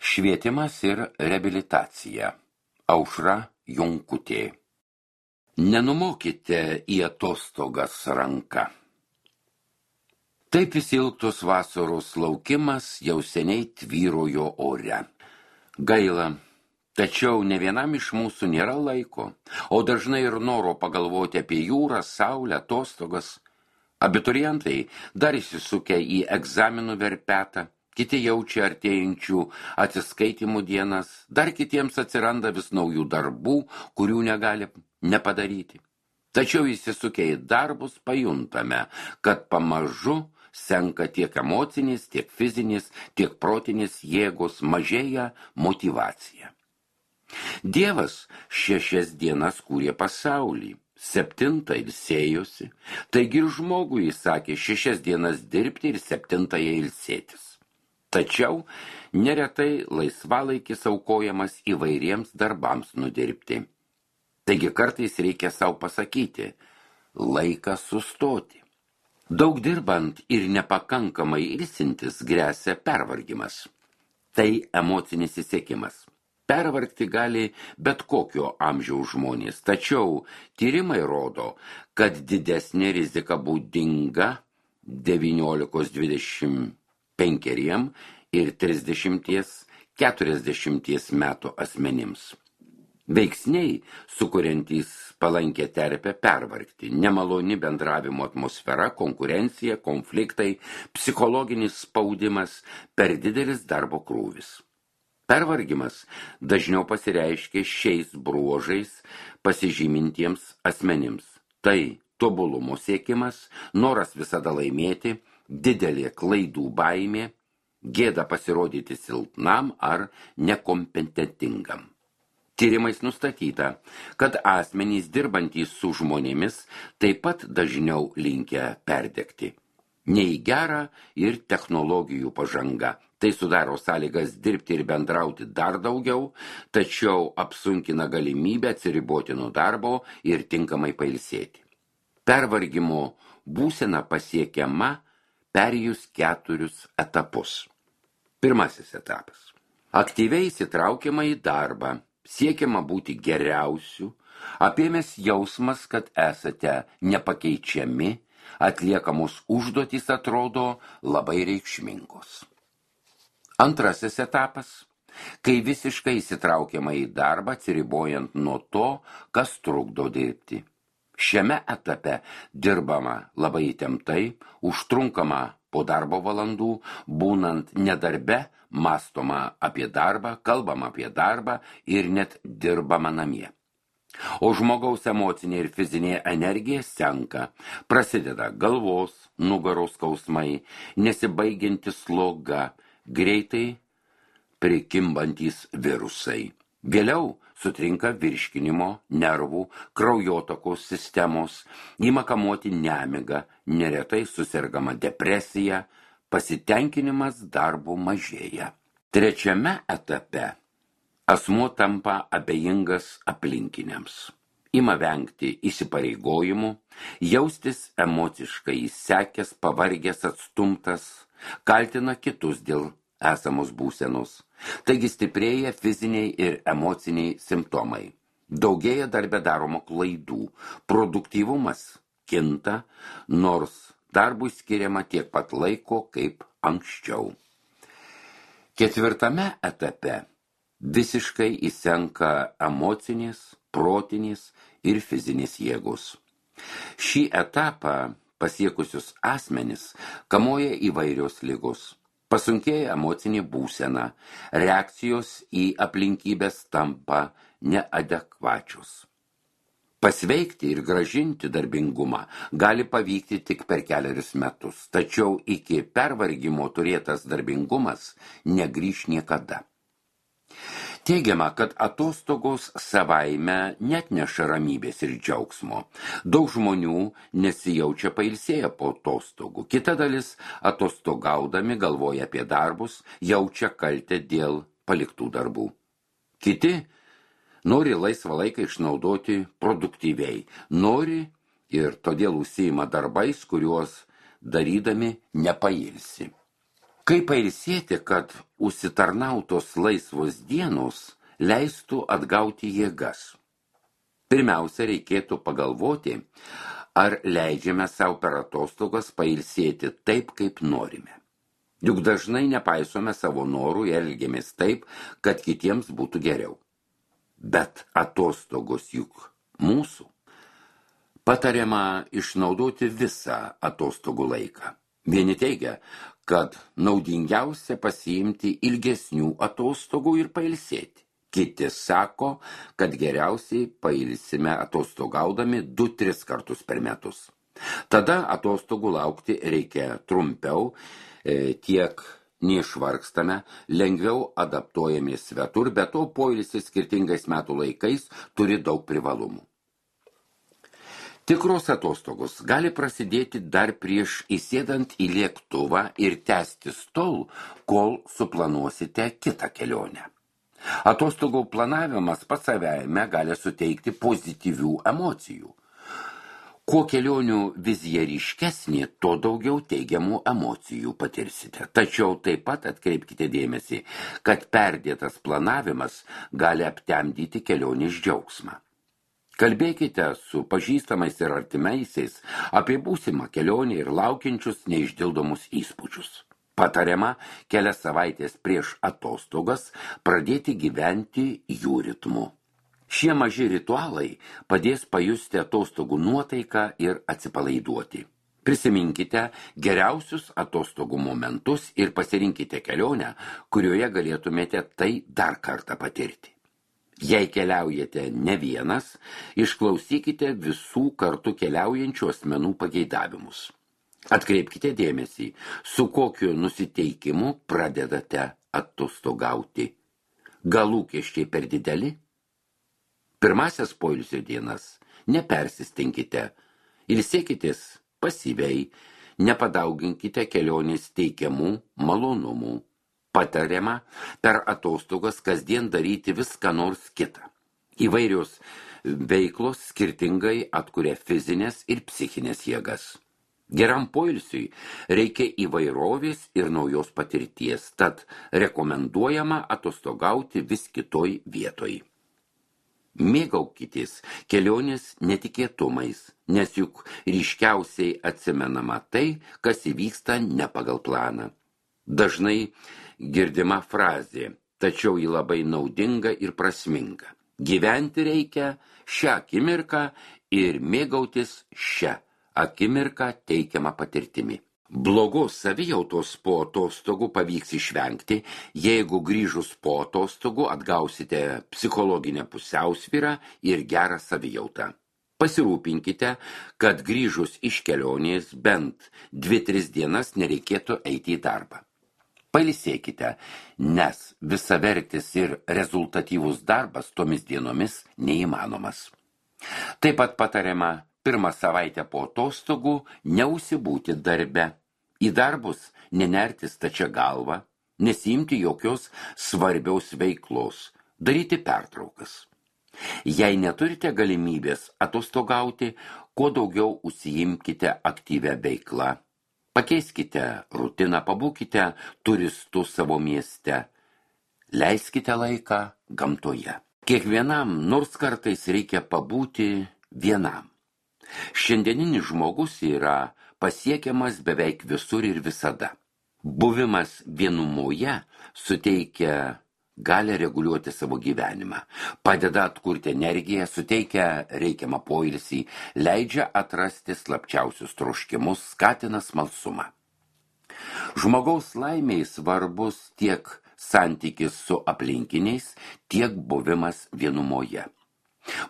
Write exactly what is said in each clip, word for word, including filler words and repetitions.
Švietimas ir reabilitacija. Aušra Jonkutė. Nenumokite į atostogas ranką. Taip įsilgtos vasaros laukimas jau seniai tvyrojo ore. Gaila, tačiau ne vienam iš mūsų nėra laiko, o dažnai ir noro pagalvoti apie jūrą, saulę, atostogas. Abiturientai dar įsisukę į egzaminų verpetą, kiti jaučia artėjančių atsiskaitimų dienas, dar kitiems atsiranda vis naujų darbų, kurių negali nepadaryti. Tačiau įsisukę į darbus pajuntame, kad pamažu senka tiek emocinis, tiek fizinis, tiek protinis jėgos, mažėja motyvacija. Dievas šešias dienas kūrė pasaulį, septintą ilsėjosi, taigi ir žmogui įsakė šešias dienas dirbti ir septintąją ilsėtis. Tačiau neretai laisvalaikis aukojamas įvairiems darbams nudirbti. Taigi kartais reikia savo pasakyti, laikas sustoti. Daug dirbant ir nepakankamai ilsintis gresia pervargimas. Tai emocinis įsiekimas. Pervargti gali bet kokio amžiaus žmonės, tačiau tyrimai rodo, kad didesnė rizika būdinga devyniolikos dvidešimt penkeriem ir trisdešimt keturiasdešimt metų asmenims. Veiksniai, sukuriantys palankę terpę pervargti, nemaloni bendravimo atmosfera, konkurencija, konfliktai, psichologinis spaudimas, per didelis darbo krūvis. Pervargimas dažniau pasireiškia šiais bruožais pasižymintiems asmenims. Tai tobulumo siekimas, noras visada laimėti, didelė klaidų baimė, gėda pasirodyti silpnam ar nekompetentingam. Tyrimais nustatyta, kad asmenys dirbantys su žmonėmis taip pat dažniau linkę perdegti. Nei gera ir technologijų pažanga. Tai sudaro sąlygas dirbti ir bendrauti dar daugiau, tačiau apsunkina galimybę atsiriboti nuo darbo ir tinkamai pailsėti. Pervargimo būsena pasiekiama perėjus keturius etapus. Pirmasis etapas. Aktyviai įsitraukiama į darbą, siekiama būti geriausiu, apėmęs jausmas, kad esate nepakeičiami, atliekamos užduotys atrodo labai reikšmingos. Antrasis etapas, kai visiškai įsitraukiama į darbą, atsiribojant nuo to, kas trukdo dirbti. Šiame etape dirbama labai įtemptai, užtrunkama po darbo valandų, būnant nedarbe, mąstoma apie darbą, kalbama apie darbą ir net dirbama namie. O žmogaus emocinė ir fizinė energija senka, prasideda galvos, nugaros skausmai, nesibaigianti sloga, greitai prikimbantys virusai. Vėliau sutrinka virškinimo, nervų, kraujotakos sistemos, ima kamuoti nemiga, neretai susergama depresija, pasitenkinimas darbu mažėja. Trečiame etape asmuo tampa abejingas aplinkiniams. Ima vengti įsipareigojimų, jaustis emociškai įsekęs, pavargęs, atstumtas, kaltina kitus dėl esamos būsenos. Taigi stiprėja fiziniai ir emociniai simptomai. Daugėja darbe daromų klaidų. Produktyvumas kinta, nors darbui skiriama tiek pat laiko kaip anksčiau. Ketvirtame etape visiškai įsenka emocinės, protinės ir fizinės jėgos. Šį etapą pasiekusius asmenis kamuoja įvairios ligos. Pasunkėja emocinė būsena, reakcijos į aplinkybės tampa neadekvačios. Pasveikti ir grąžinti darbingumą gali pavykti tik per keliarius metus, tačiau iki pervargimo turėtas darbingumas negrįš niekada. Teigiama, kad atostogos savaime neatneša ramybės ir džiaugsmo. Daug žmonių nesijaučia pailsėję po atostogų. Kita dalis atostogaudami galvoja apie darbus, jaučia kaltę dėl paliktų darbų. Kiti nori laisvą laiką išnaudoti produktyviai, nori ir todėl užsiima darbais, kuriuos darydami nepailsi. Kaip pailsėti, kad užsitarnautos laisvos dienos leistų atgauti jėgas? Pirmiausia, reikėtų pagalvoti, ar leidžiame savo per atostogas pailsėti taip, kaip norime. Juk dažnai nepaisome savo norų ir elgiamės taip, kad kitiems būtų geriau. Bet atostogos juk mūsų. Patariama išnaudoti visą atostogų laiką. Vieni teigia, kad naudingiausia pasiimti ilgesnių atostogų ir pailsėti. Kiti sako, kad geriausiai pailsime atostogaudami du tris kartus per metus. Tada atostogų laukti reikia trumpiau, tiek neišvargstame, lengviau adaptuojamės svetur, bet to poilsis skirtingais metų laikais turi daug privalumų. Tikros atostogos gali prasidėti dar prieš įsėdant į lėktuvą ir tęstis tol, kol suplanuosite kitą kelionę. Atostogų planavimas pats savaime gali suteikti pozityvių emocijų. Kuo kelionių vizija ryškesnė, tuo daugiau teigiamų emocijų patirsite. Tačiau taip pat atkreipkite dėmesį, kad perdėtas planavimas gali aptemdyti kelionės džiaugsmą. Kalbėkite su pažįstamais ir artimaisiais apie būsimą kelionę ir laukiančius neišdildomus įspūdžius. Patariama kelias savaitės prieš atostogas pradėti gyventi jų ritmu. Šie maži ritualai padės pajusti atostogų nuotaiką ir atsipalaiduoti. Prisiminkite geriausius atostogų momentus ir pasirinkite kelionę, kurioje galėtumėte tai dar kartą patirti. Jei keliaujate ne vienas, išklausykite visų kartu keliaujančių asmenų pageidavimus. Atkreipkite dėmesį, su kokiu nusiteikimu pradedate atostogauti. Gal lūkesčiai per dideli? Pirmasias poilsio dienas nepersistenkite, ilsėkitės pasyviai, nepadauginkite kelionės teikiamų malonumų. Patariama per atostogas kasdien daryti viską nors kitą. Įvairios veiklos skirtingai atkuria fizinės ir psichinės jėgas. Geram poilsiui reikia įvairovės ir naujos patirties, tad rekomenduojama atostogauti vis kitoj vietoj. Mėgaukitės kelionės netikėtumais, nes juk ryškiausiai atsimenama tai, kas įvyksta ne pagal planą. Dažnai girdima frazė, tačiau ji labai naudinga ir prasminga. Gyventi reikia šią akimirką ir mėgautis šią akimirką teikiamą patirtimi. Blogos savijautos po atostogų pavyks išvengti, jeigu grįžus po atostogų atgausite psichologinę pusiausvyrą ir gerą savijautą. Pasirūpinkite, kad grįžus iš kelionės bent dvi tris dienas nereikėtų eiti į darbą. Pailsėkite, nes visavertis ir rezultatyvus darbas tomis dienomis neįmanomas. Taip pat patariama pirmą savaitę po atostogų neužsibūti darbe. Į darbus nenerti stačia galva, nesiimti jokios svarbiaus veiklos, daryti pertraukas. Jei neturite galimybės atostogauti, kuo daugiau užsiimkite aktyvią veiklą. Pakeiskite rutiną, pabūkite turistų savo mieste. Leiskite laiką gamtoje. Kiekvienam nors kartais reikia pabūti vienam. Šiandieninis žmogus yra pasiekiamas beveik visur ir visada. Buvimas vienumoje suteikia gali reguliuoti savo gyvenimą, padeda atkurti energiją, suteikia reikiamą poilsį, leidžia atrasti slapčiausius troškimus, skatina smalsumą. Žmogaus laimei svarbus tiek santykis su aplinkiniais, tiek buvimas vienumoje.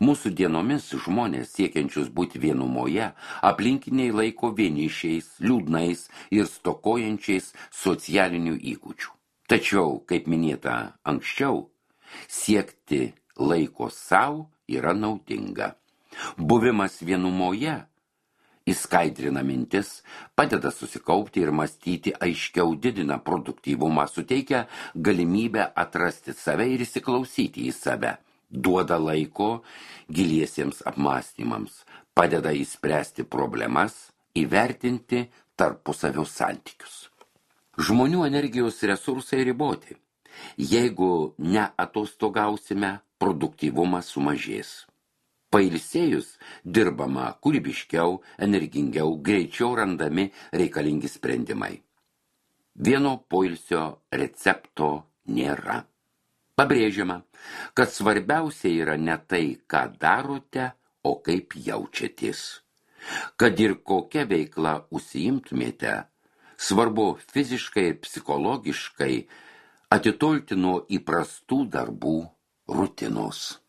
Mūsų dienomis žmonės siekiančius būti vienumoje, aplinkiniai laiko vienišiais, liūdnais ir stokojančiais socialinių įgūdžių. Tačiau, kaip minėta anksčiau, siekti laiko savo yra naudinga. Buvimas vienumoje įskaidrina mintis, padeda susikaupti ir mąstyti aiškiau, didina produktyvumą, suteikia galimybę atrasti save ir įsiklausyti į save, duoda laiko giliesiems apmąstymams, padeda įspręsti problemas, įvertinti tarpusavio santykius. Žmonių energijos resursai riboti. Jeigu neatostogausime, produktyvumas sumažės. Pailsėjus dirbama kūrybiškiau, energingiau, greičiau randami reikalingi sprendimai. Vieno poilsio recepto nėra. Pabrėžiama, kad svarbiausia yra ne tai, ką darote, o kaip jaučiatės. Kad ir kokia veikla užsiimtumėte, svarbu fiziškai ir psichologiškai atitolti nuo įprastų darbų rutinos.